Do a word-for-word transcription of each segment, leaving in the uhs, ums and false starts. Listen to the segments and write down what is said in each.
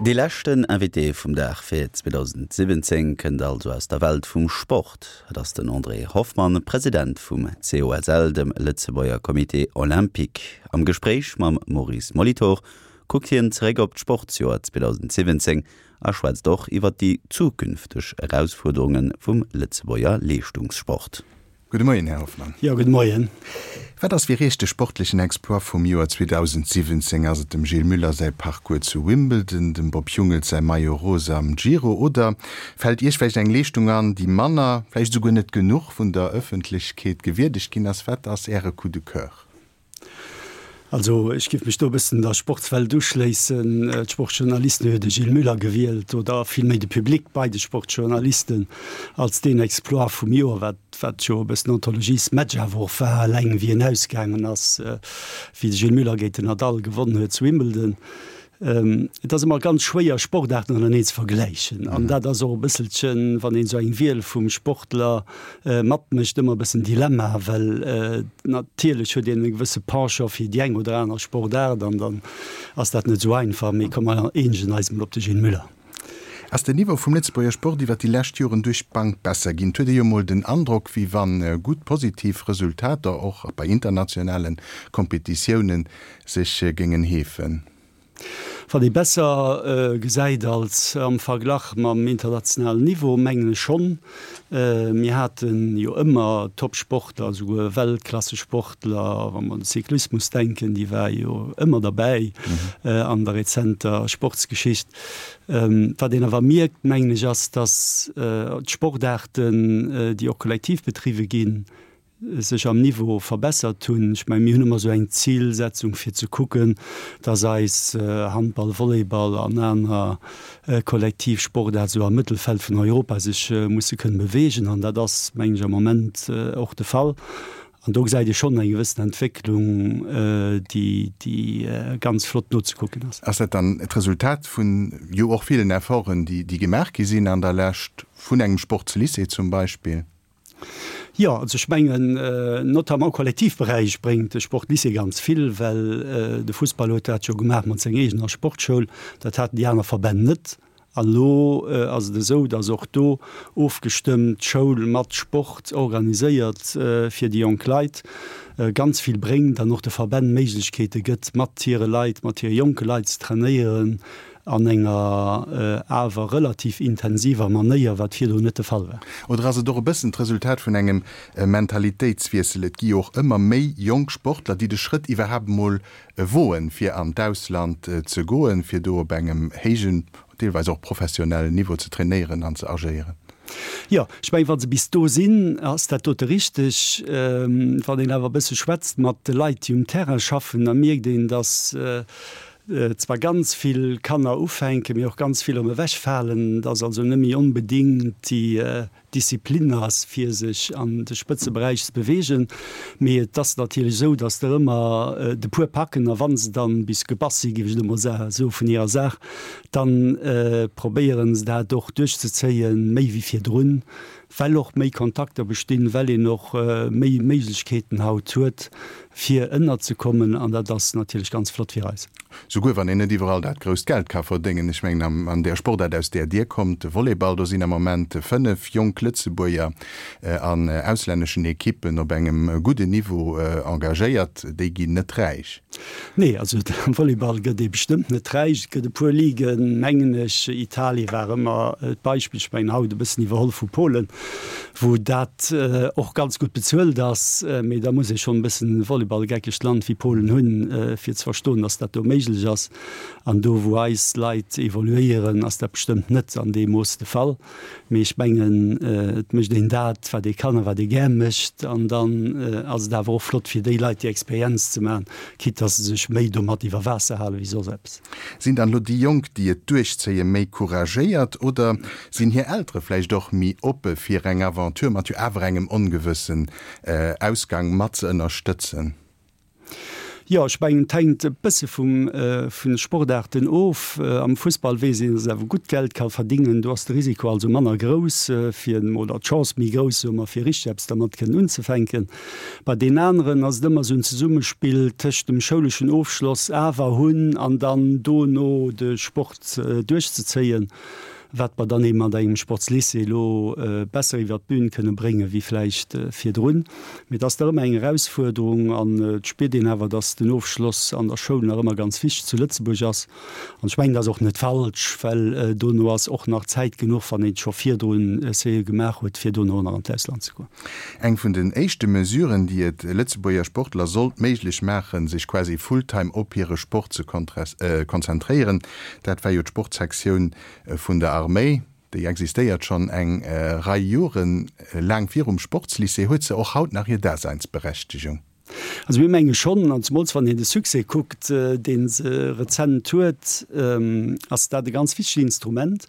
Dee leschten Invité vum Dag fir zweedausendsiwwenzéng kënnt also aus der Welt vum Sport. Et ass den André Hoffmann, President vum C O S L, dem Lëtzebuerger Comité Olympique. Am Gespréich mam Maurice Molitor kuckt hien zeréck op d'Sportsjoer zweedausendsiwwenzéng a schwätzt och iwwer déi zukünfteg Erausfuerderunge vum Lëtzebuerger Leeschtungssport. Gudde Moien, Här Hoffmann. Jo, gudde Moien. Wat ass fir Iech de sportlechen Exploit vum Joer zweedausendsiwwenzéng? Ass et dem Gilles Müller säi Parcours zu Wimbledon, dem Bob Jungels säi Maillot rose am Giro oder fält Iech vläicht eng Leeschtung an, déi manner, vläicht esouguer net genuch vun der Ëffentlechkeet gewierdegt ginn ass? Wat ass Äre Coup de cœur? Also ech géif mech do e bëssen der Sportswelt uschléissen. D'Sportjournalisten hu jo de Gilles Müller gewielt, oder villméi de Public bei de Sportjournalisten, als deen Exploit vum Joer, wat wat jo e bëssen Anthologiesmatch awer och war, eleng wéi en ausgaangen ass, wéi de Gilles Müller géint den Nadal gewonnen huet zu Wimbledon. Et ass ëmmer ganz schwéier, Sportaarten ënnereneen ze vergläichen. An dat ass och e bësselchen, wann een esou eng Wiel vum Sportler matmécht, ëmmer e bëssen Dilemma, well natierlech huet een e gewësse Penchant fir déi eng oder aner Sportaart an dann ass dat net esou einfach. Mee komm mer eenegen eis emol op de Gilles Müller. Ass den Niveau vum Lëtzebuerger Sport iwwer déi lescht Joren duerch d'Bank besser ginn? Et huet ee jo mol den Androck, wéi wann gutt positiv Resultater och bei internationale Kompetitiounen sech géingen heefen. Wat ee besser gesäit als am Verglach mam internationalen Niveau, mengen ech schonn. Mir hate jo ëmmer Top-Sportler, esouguer Weltklassesportler, wa mer un de Cyclismus denken, déi war jo ëmmer derbäi an der rezenter Sportsgeschicht. Wat een awer mierkt, mengen ech, ass, datt d'Sportaarten, déi och kollektiv bedriwwe ginn, sech am Niveau verbessert hunn. Ech mengen, mir hunn ëmmer esou eng Zilsetzung fir ze kucken, dass eis Handball, Volleyball an aner kollektiv Sportaart esou am Mëttelfeld vun Europa sech musse kënnen beweegen. An dat ass, mengen ech, am Moment och de Fall. An do gesäit ee schonn eng gewëssen Entwécklung, déi, déi ganz flott nozekucken ass. Ass dat dann d'Resultat vun jo och villen Efforten, déi, déi gemaach gi sinn an der Lescht, vun engem Sportslycée zum Beispill? Jo, also ech mengen, notamment am Kollektivberäich bréngt de Sportlycée ganz vill, well de Fussball huet dat jo gemaach mat senger eegener Sportschoul, dat haten déi aner Verbänn net. An elo ass et esou, datt och do ofgestëmmt Schoul mat Sport organiséiert fir déi jonk Leit ganz vill bréngt an och de Verbänn Méiglechkeete gëtt, mat hire Leit, mat hire jonke Leit ze trainéieren an enger awer relativ intensiver Manéier, wat virdrun net de Fall war. Oder ass et och e bëssen d'Resultat vun engem Mentalitéitswiessel? Et gi jo och ëmmer méi jonk Sportler, déi de Schrëtt iwwerhaapt emol woen, fir an d'Ausland ze goen, fir do op engem héijen, deelweis och professionellen Niveau ze trainéieren an ze agéieren. Jo, ech mengen, wa se bis do sinn, ass dat dote richteg. Wann een awer e bësse schwätzt mat de Leit, déi um Terrain schaffen, da mierkt een, datt zwar ganz vill Kanner ufänken, mee och ganz vill erëm ewechfalen, dass also net méi onbedéngt déi Disziplin ass, fir sech an de Spëtzeberäich ze beweegen. Mee et ass natierlech esou, dass der ëmmer de puer packen, a wa se dann bis gebass sinn, géif ech elo mol soen, vun hirer Saach, da probéiere se dat och duerchzezéien, méi wéi virdrun, well och méi Kontakter bestinn, well een och méi Méiglechkeeten haut huet, fir ënnerzekommen, an dat ass natierlech ganz flott fir eis. Souguer wann een net iwwerall dat grousst Geld ka verdéngen. Ech mengen, an där Sportaart, aus där Dir kommt, de Volleyball, do sinn am Moment fënnef jonk Lëtzebuerger an auslänneschen Ekippen op engem gudden Niveau engagéiert. Déi ginn net räich. Nee, also am Volleyball gëtt ee bestëmmt net räich. Et gëtt e puer Liguen, mengen ech, Italie war ëmmer d'Beispill, ech mengen haut e bëssen iwwerholl vu Polen, wou dat och ganz gutt bezuelt ass. Mee da muss ee schonn e bëssen e volleyballgeckegt Land wéi Polen hunn, fir ze verstoen, datt dat do méiglech ass. An do, wou eis Leit evoluéieren, ass dat bestëmmt net an deem Mooss de Fall. Mee ech mengen, et mécht een dat, wat ee kann a wat ee gär mécht. An dann ass et awer och flott fir déi Leit déi Experienz ze maachen, quitte dass se sech méi domat iwwer Waasser hale wéi soss eppes. Sinn dann elo déi Jonk, déi et duerchzéien, méi couragéiert oder sinn hir Eltere vläicht och méi oppe fir eng Aventure mat jo awer engem ongewëssen Ausgang mat ze ënnerstëtzen? Jo, ech mengen, et hänkt e bësse vum, vun de Sportaarten of. Am Fussball weess een, dass een awer gutt Geld ka verdingen. Do ass de Risiko also manner grouss, fir, oder d'Chance méi grouss, soe mer, fir richteg eppes dermat kënnen unzefänken. Bei deenen aneren ass et ëmmer esou en Zesummespill tëscht dem schouleschen Ofschloss awer hunn an dann dono de Sport duerchzezéien. Wat mer dann eben mat engem Sportslycée elo besser iwwert d'Bün kënne bréngen, wéi vläicht virdrun. Mee et ass nach ëmmer eng Erausfuerderung an et spiert een awer, dass den Ofschloss an der Schoul nach ëmmer ganz wichteg zu Lëtzebuerg ass. An ech mengen, dat ass och net falsch, well dono ass och nach Zäit genuch, wann een scho virdrun Essayë gemaach huet, fir dono nach an d'Ausland ze goen. Eng vun den éischte Mesuren, déi et Lëtzebuerger Sportler sollt méiglech maachen, sech quasi fulltime op hire Sport ze konzentréieren, dat war jo d'Sportsektioun vun der Arméi, déi existéiert schonn eng Rei Joren, laang virum Sportslycée. Huet se och haut nach hir Daseinsberechtegung? Also mir menge schonn, an zemools wann een de Succès kuckt, dee se rezent huet, ass dat e ganz wichtegt Instrument.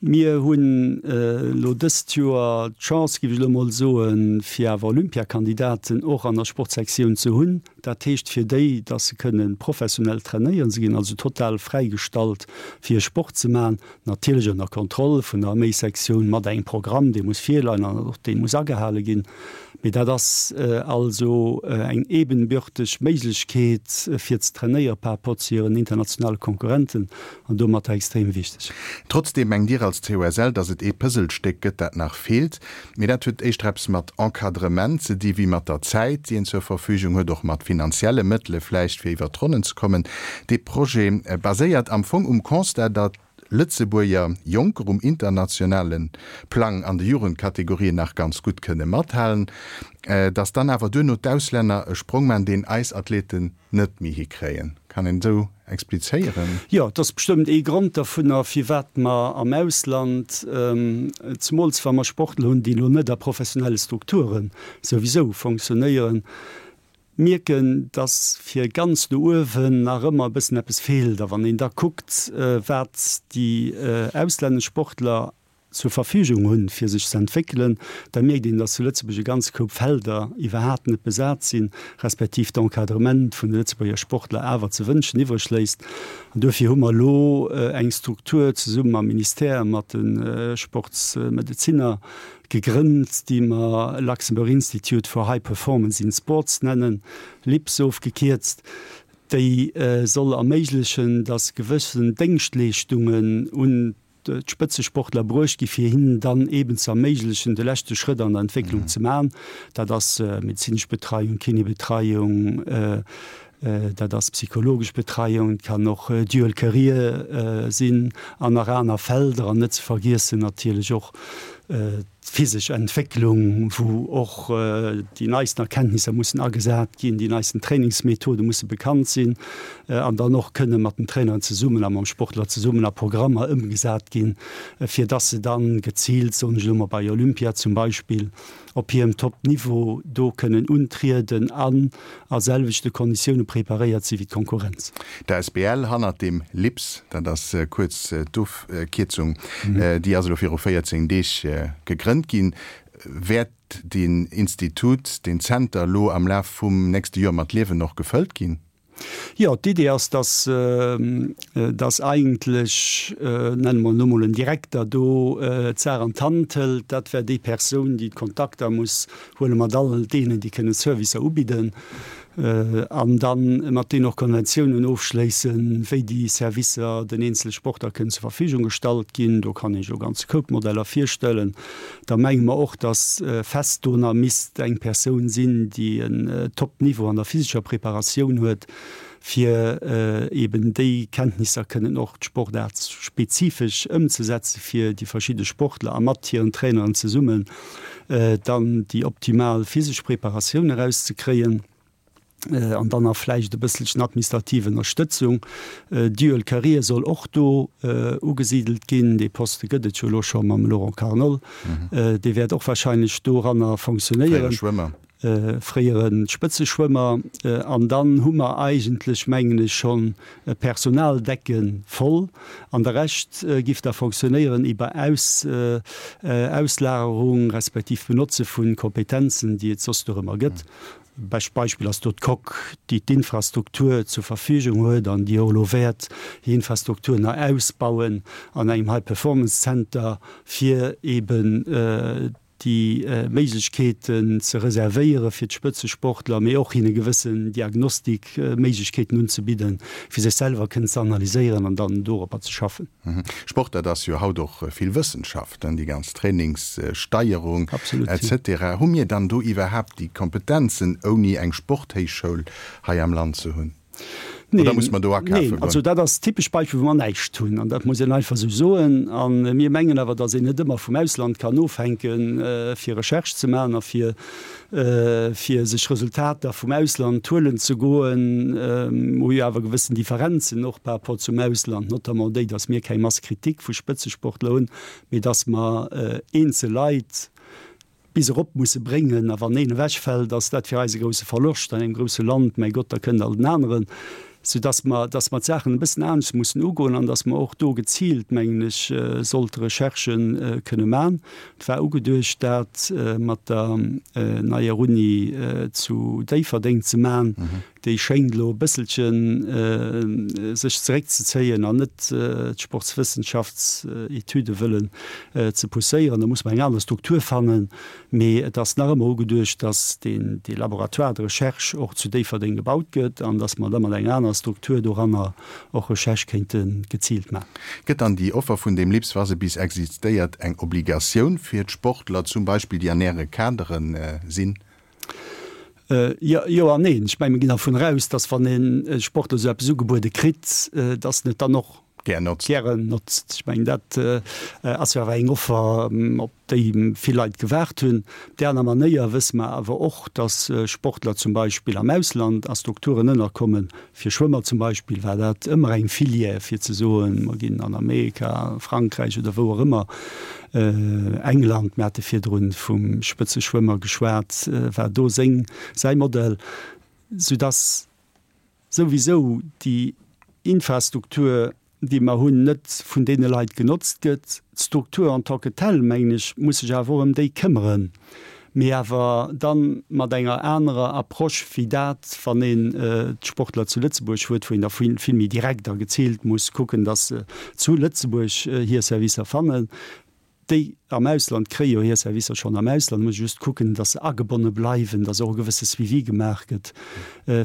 Mir hunn elo dëst Joer d'Chance, géif ech elo emol soen, fir awer Olympiakandidaten och an der Sportsektioun ze hunn. Dat heescht fir déi, dass se kënne professionell trainéieren. Se ginn also total fräigestallt, fir Sport ze maachen, natierlech ënner Kontroll vun der Arméisektioun mat engem Programm, dee muss virleien an och dee muss agehale ginn. Mee dat ass also eng ebenbürteg Méiglechkeet, fir ze trainéiere par rapport zu hiren internationale Konkurrenten an domatter extrem wichteg. Trotzdeem mengt Dir als C O S L, datt et ee Puzzlestéck gëtt, dat nach feelt. Mee dat huet éischter eppes mat Encadrement ze di wéi mat der Zäit, déi een zur Verfügung huet, och mat finanzielle Mëttele vläicht, fir iwwer d'Ronnen ze kommen. Dee Projet baséiert am Fong um Constat, datt Lëtzebuerger Jonker um internationale Plang an de Jugendkategorien nach ganz gutt kënne mathalen, dass dann awer duerno d'Auslänner e Sprong man, deen eis Athleten net méi hikréien. Kann een esou explizéieren? Jo, et ass bestëmmt ee Grond dervunner, firwat mer am Ausland, zemools wa mer Sportler hunn, déi elo net a professionelle Strukture souwisou fonctionnéieren, mierken, dass fir ganz no uewen nach ëmmer e bëssen eppes feelt. A wann een da kuckt, wat déi auslännesch Sportler zur Verfügung hunn, fir sech ze entwéckelen, da mierkt een, dass zu Lëtzebuerg e ganze Koup Felder iwwerhaapt net besat sinn, respektiv d'Encadrement vun de Lëtzebuerger Sportler awer ze wënschen iwwreg léisst. An duerfir hu mer elo eng Struktur zesumme mam Ministère, mat de Sportsmedezinner gegrënnt, déi mer Luxembourg Institute for High Performance in Sports nennen, LIPS ofgekierzt, déi soll erméiglechen, dass gewëssen Déngschtleeschtungen un d'Spëtzesportler bruecht gi fir hinnen dann eeben ze erméiglechen, de leschte Schrëtt an der Entwécklung ze maachen. Dat ass medezinesch Betreiung, Kinébetreiung, dat ass psychologesch Betreiung, et kann och Dual Career sinn an nach aner Felder an net ze vergiessen natierlech och d'physesch Entwécklung, wou och déi neisten Erkenntnisser mussen agesat ginn, déi neisten Trainingsmethode musse bekannt sinn an dann och kënne mat den Traineren zesummen a mam Sportler zesummen a Programmer ëmgesat ginn, fir dass se dann geziilt, soen ech elo mol bei Olympia zum Beispill, op hirem Top-Niveau do kënnen untrieden an a selwechte Konditioune preparéiert si wéi d'Konkurrenz. D'A S B L hannert dem LIPS, dat ass kuerz d'Ofkierzung, déi ass elo viru véierzéng Deeg gegrënnt ginn. Wäert deen Institut, deen Zenter elo am Laf vum nächste Joer mat Liewen och gefëllt ginn? Jo, d'Idee ass, dass, dass eigentlech, nenne mer elo mol en Direkter do d'Saach an d'Hand hëlt. Dat wär déi Persoun, déi d'Kontakter muss huele mat all deenen, déi kënnen Servicer ubidden, an da mat deenen och Konventiounen ofschléissen, wéi déi Servicer den eenzele Sportler kënnen zur Verfügung gestallt ginn. Do kann ee sech e ganze Koup Modeller virstellen. Da menge mer och, dass fest do nach misst eng Persoun sinn, déi en Top-Niveau an der physescher Preparatioun huet, fir eben déi Kenntnisser kënnen och sportaartspezifesch ëmzesetze fir déi verschidde Sportler a mat hiren Traineren zesummen dann déi optimal physesch Preparatioun erauszekréien. An dann nach vläicht e bësselchen administrativ Ënnerstëtzung. Dual Career soll och do ugesidelt ginn. Dee Poste gëtt et jo elo scho mam Laurent Carnol. Dee wäert och wahrscheinlech doranner fonctionnéieren. Fréiere Schwëmmer. Fréiere Spëtzeschwëmmer. An dann hu mer eigentlech, mengen ech, schonn d'Personaldecke voll. An de Rescht giff da fonctionnéieren iwwer Auslagerung respektiv Benotze vu Kompetenzen, déi et soss dorëmmer gëtt. Bescht Beispill ass do d'Coque, déi d'Infrastruktur zur Verfügung huet an déi och elo wäert hir Infrastruktur nach ausbauen an engem High Performance Center, fir eeben déi Méiglechkeeten ze reservéiere fir d'Spëtzesportler, mee och hinne gewëssen Diagnostikméiglechkeeten unzebidden, fir sech selwer kënnen ze analyséieren an dann doropper ze schaffen. Sport, dat ass jo haut och vill Wëssenschaft, déi ganz Trainingssteierung et cetera. Hu mir dann do iwwerhaapt déi Kompetenzen, ouni eng Sporthéichschoul hei am Land ze hunn? Oder muss mer do akafe goen? Also dat ass typesch Beispill, wou mer näischt hunn. An dat muss een einfach esou soen. A mir mengen awer, datt een net ëmmer vum Ausland kann ofhänken, fir Recherche ze maachen a fir fir sech Resultater vum Ausland huelen ze goen. Mer hu jo awer gewëssen Differenzen och par rapport zum Ausland, notamment déi, datt mir keng Masse critique vu Spëtzesportler hunn, mee datt mer eenzel Leit bis erop musse bréngen. A wann een ewechfält, ass dat fir eis e grousse Verloscht an engem grousse Land, mäi Gott, da kënnt alt en aneren. Soudass mer, dass mer d'Saachen e bëssen anescht mussen ugoen an dass mer och do geziilt, mengen ech, sollte Recherchë kënne man. Et war ugeduecht, dat mat der neier Uni zu Déifferdeng ze man. Déi schéngt elo e bësselche sech zeréckzezéien an net d'Sportswëssenschaftsetüde wëllen ze pousséieren. Da muss mer eng aner Struktur fannen. Mee et ass nach ëmmer ugeduecht, dass deen, dee Laboratoire de recherche och zu Déifferdeng gebaut gëtt an dass mer da mat enger aner Struktur doranner och Recherche kéinte geziilt maachen. Gëtt dann déi Offer vun deem LIPS, wa se bis existéiert, eng Obligatioun fir d'Sportler zum Beispill, déi an Äre Kadere sinn? Jo, jo an neen. Ech mengen, mir ginn dervun eraus, dass wann ee Sportler esou eppes ugebuede kritt, dass en et dann och Gär notzt. Gären notzt. Ech mengen, dat ass jo awer eng Offer, op déi vill Leit gewaart hunn. Op där aner Manéier wësse mer awer och, dass Sportler zum Beispill am Ausland a Strukturen ënnerkommen. Fir Schwëmmer zum Beispill war dat ëmmer eng Filière, fir ze soen, mer ginn an Amerika, Frankräich oder wou och ëmmer, England, mir hate virdrun vum Spëtzeschwëmmer geschwat, war do seng, säi Modell, soudass souwisou déi Infrastruktur, déi mer hunn, net vun deene Leit genotzt gëtt. D'Struktur en tant que telle, mengen ech, muss sech awer och ëm déi këmmeren, mee awer da mat enger anerer Approche wéi dat, wann een d'Sportler zu Lëtzebuerg huet, wou een da vill méi direkt a geziilt muss kucken, dass se zu Lëtzebuerg hir Servicer fannen. Déi am Ausland kréie jo hir Servicer schonn am Ausland, muss just kucken, datt se agebonne bleiwen, datt och e gewësse Suivi gemaach gëtt,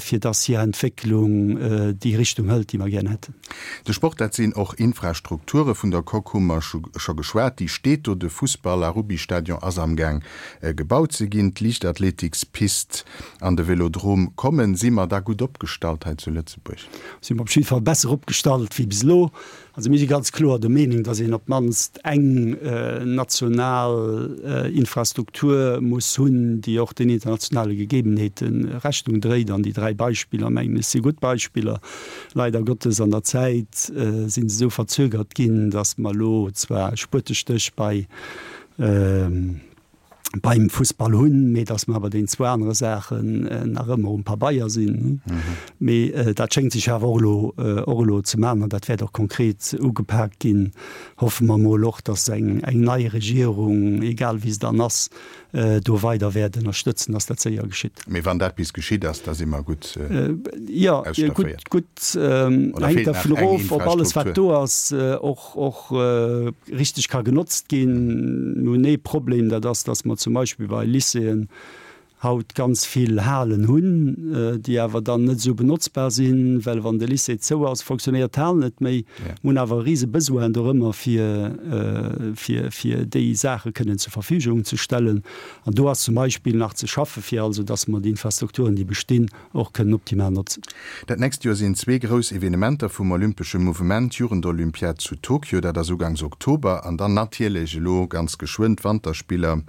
fir datt hir Entwécklung déi Richtung hëlt, déi mer gären hätten. De Sport, dat sinn och Infrastrukture. Vun der Coque hu mer scho geschwat, déi steet do. De Fussball a Rubbystadion ass amgaang gebaut ze ginn. D'Liichtathletikspist an de Vélodrome kommen. Si mer da gutt opgestallt hei zu Lëtzebuerg? Si mer op jidde Fall besser opgestallt wéi bis elo. Also mir si ganz kloer der Meenung, datt een op d'mannst eng national Infrastruktur muss hunn, déi och den internationale Gegebenheete Rechnung dréit. An déi dräi Beispiller, mengen ech, si gutt Beispiller. Leider Gottes an der Zäit si se esou verzögert ginn, datt mer elo zwar e Spuetestéch bei beim Fussball hunn, mee datt mer bei deenen zwou anere Saachen nach ëmmer um Pabeier sinn. Mee dat schéngt sech awer och elo, och elo ze maachen an dat wäert och konkret ugepak ginn, hoffe mer emol och, datt eng, eng nei Regierung, egal wéi se dann ass, do weider wäert ënnerstëtzen, datt dat séier geschitt. Mee wann dat bis geschitt ass, da si mer gutt Jo, ausstafféiert. gutt, gutt, Oder hänkt feelt nach dervun eng erof, ob alles, wat Infrastruktur? do ass, och, och richteg ka genotzt ginn. Mir hunn ee Problem, dat ass, datt mer zum Beispill bei Lycéeën haut ganz vill Halen hunn, déi awer dann net esou benotzbar sinn, well wann de Lycée zou ass, fonctionnéiert d'Hal net méi. Mir hunn awer e rise Besoin dorëmmer, fir, fir, fir déi Saache kënnen zur Verfügung ze stellen. An do ass zum Beispill nach ze schaffe fir also, datt mer déi Infrastrukturen, déi bestinn, och kënnen optimal notzen. Dat nächst Joer sinn zwee grouss Evenementer vum olympesche Mouvement, d'Jugendolympiad zu Tokio, dat ass ugangs Oktober, an dann natierlech elo ganz geschwënn d'Wanterspiller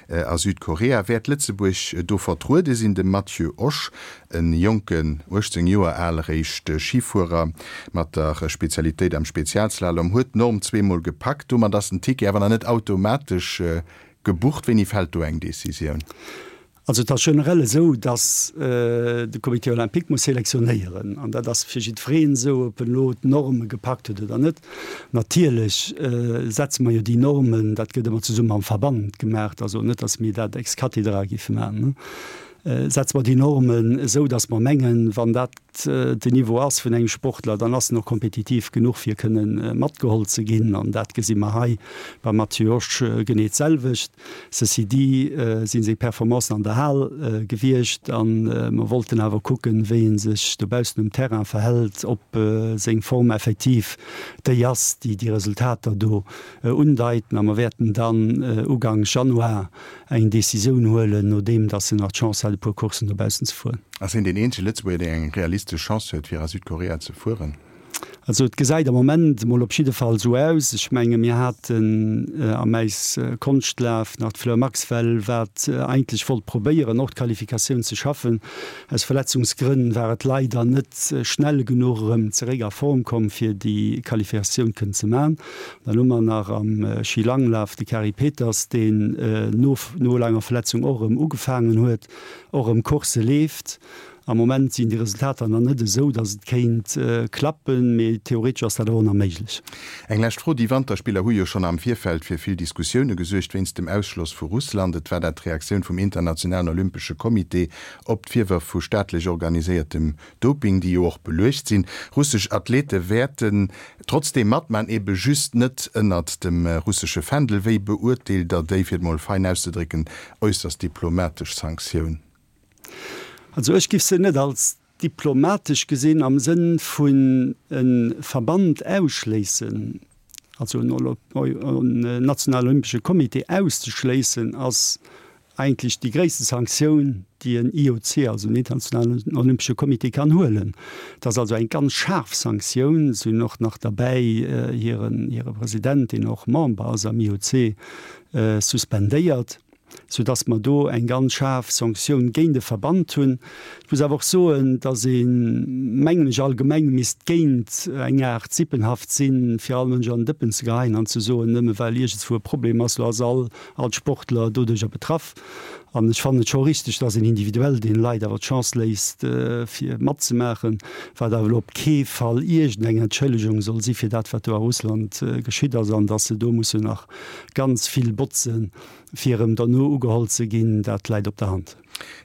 a Südkorea. Wäert Lëtzebuerg do vertruede sinn? De Matthieu Osch, e jonken, uechtzéng Joer al réischt, Schifuerer mat der Spezialitéit am Spezialslalom, huet d'Norm zweemol gepackt. Domat ass den Ticket awer nach net automatesch gebucht. Wéini fält do eng Decisioun? Also et ass generell esou, datt de Comité olympique muss selektionéieren, an dat ass fir jiddwereen esou, ob en elo d'Norme gepackt huet oder net. Natierlech setze mer jo déi Normen, dat gëtt ëmmer zesumme mam Verband gemaach, also net, datt mir dat ex cathedra géife maachen. setze mer déi Normen esou, datt mer mengen, wann dat den Niveau ass vun engem Sportler, dann ass en och kompetitiv genuch fir kënnen matgeholl ze ginn. An dat gesi mer hei beim Matthieu Osch genee d'selwecht. Ceci dit si seng Performancen an der Hal gewiescht an mer wollten awer kucken, wéi e sech dobaussen um Terrain verhält, ob seng Form effektiv déi ass, déi déi Resultater do undeiten. A mer wäerten dann Uganks Januar eng Decisioun huelen, nodeem datt en nach d'Chance hat, e puer Courssen dobaussen ze fueren. Ass hien deen eenzege Lëtzebuerger, deen eng realistesch Chance huet, fir a Südkorea ze fueren? Also et gesäit am Moment emol op jidde Fall esou aus. Ech menge mir haten am Äiskonstlaf nach d'Fleur Maxwell, wat eigentlech wollt probéieren, och d'Qualifikatioun ze schaffen. Aus Verletzungsgrënn war et leider net schnell genuch erëm zeréck a Form komm, fir déi Qualifikatioun kënnen ze man. Dann hu mer nach am Schilanglaf de Kari Peters, deen no no laanger Verletzung och erëm ugefaangen huet, och erëm Coursse leeft. Am Moment sinn déi Resultater nach net esou, datt et kéint klappen, mee theoretesch ass dat awer och nach méiglech. Eng lescht Fro, Déi Wanterspiller hu jo schonn am Virfeld fir vill Diskussioune gesuergt wéinst dem Ausschloss vu Russland. Et war dat d'Reaktioun vum Internationalen Olympesche Comité op d'Virwërf vu staatlech organiséiertem Doping, déi jo och beluecht sinn. Russesch Athlete wäerten trotzdeem matman, ebe just net ënnert dem russesche Fändel. Wéi beurteelt Der déi, fir et mol fein auszedrécken, äusserst diplomatesch Sanktioun? Also ech giff se net als diplomatesch gesinn am Sënn vun e Verband ausschléissen, also en nationalen olympesche Comité auszeschléissen ass eigentlech déi gréisste Sanktioun, déi en I O C, also en internationalen olympesche Comité kann huelen. Dat ass also eng ganz schaarf Sanktioun. Se hunn och nach derbäi hiren hire President, deen och Member ass am I O C, suspendéiert. soudass mer do eng ganz schaarf Sanktioun géint e Verband hunn. Ech muss awer och soen, dass een, mengen ech, allgemeng misst géint eng Aart Sippenhaft sinn, fir all Mënsch an den Dëppen ze geheien an ze soen, nëmme well iergendswou e Problem ass, lo ass all all Sportler doduercher betraff. An ech fannen et scho richteg, dass een individuell deene Leit awer d'Chance léisst, fir matzemaachen, wat awer elo op kee Fall iergendeng Entschëllegung soll si fir dat, wat do a Russland geschitt ass, an dass se do mussen nach ganz vill botzen, fir erëm derno ugeholl ze ginn, dat läit op der Hand.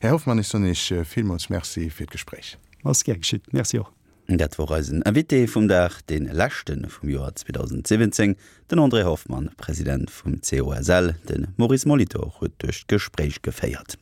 Här Hoffmann, ech soen Iech villmools Merci fir d'Gespréich. Ass gär geschitt. Merci och. Dat wor eisen Invité vum Dag, dee leschte vum Joer zweedausendsiwwenzéng, den André Hoffmann, President vum C O S L. De Maurice Molitor huet duerch d'Gespréich geféiert.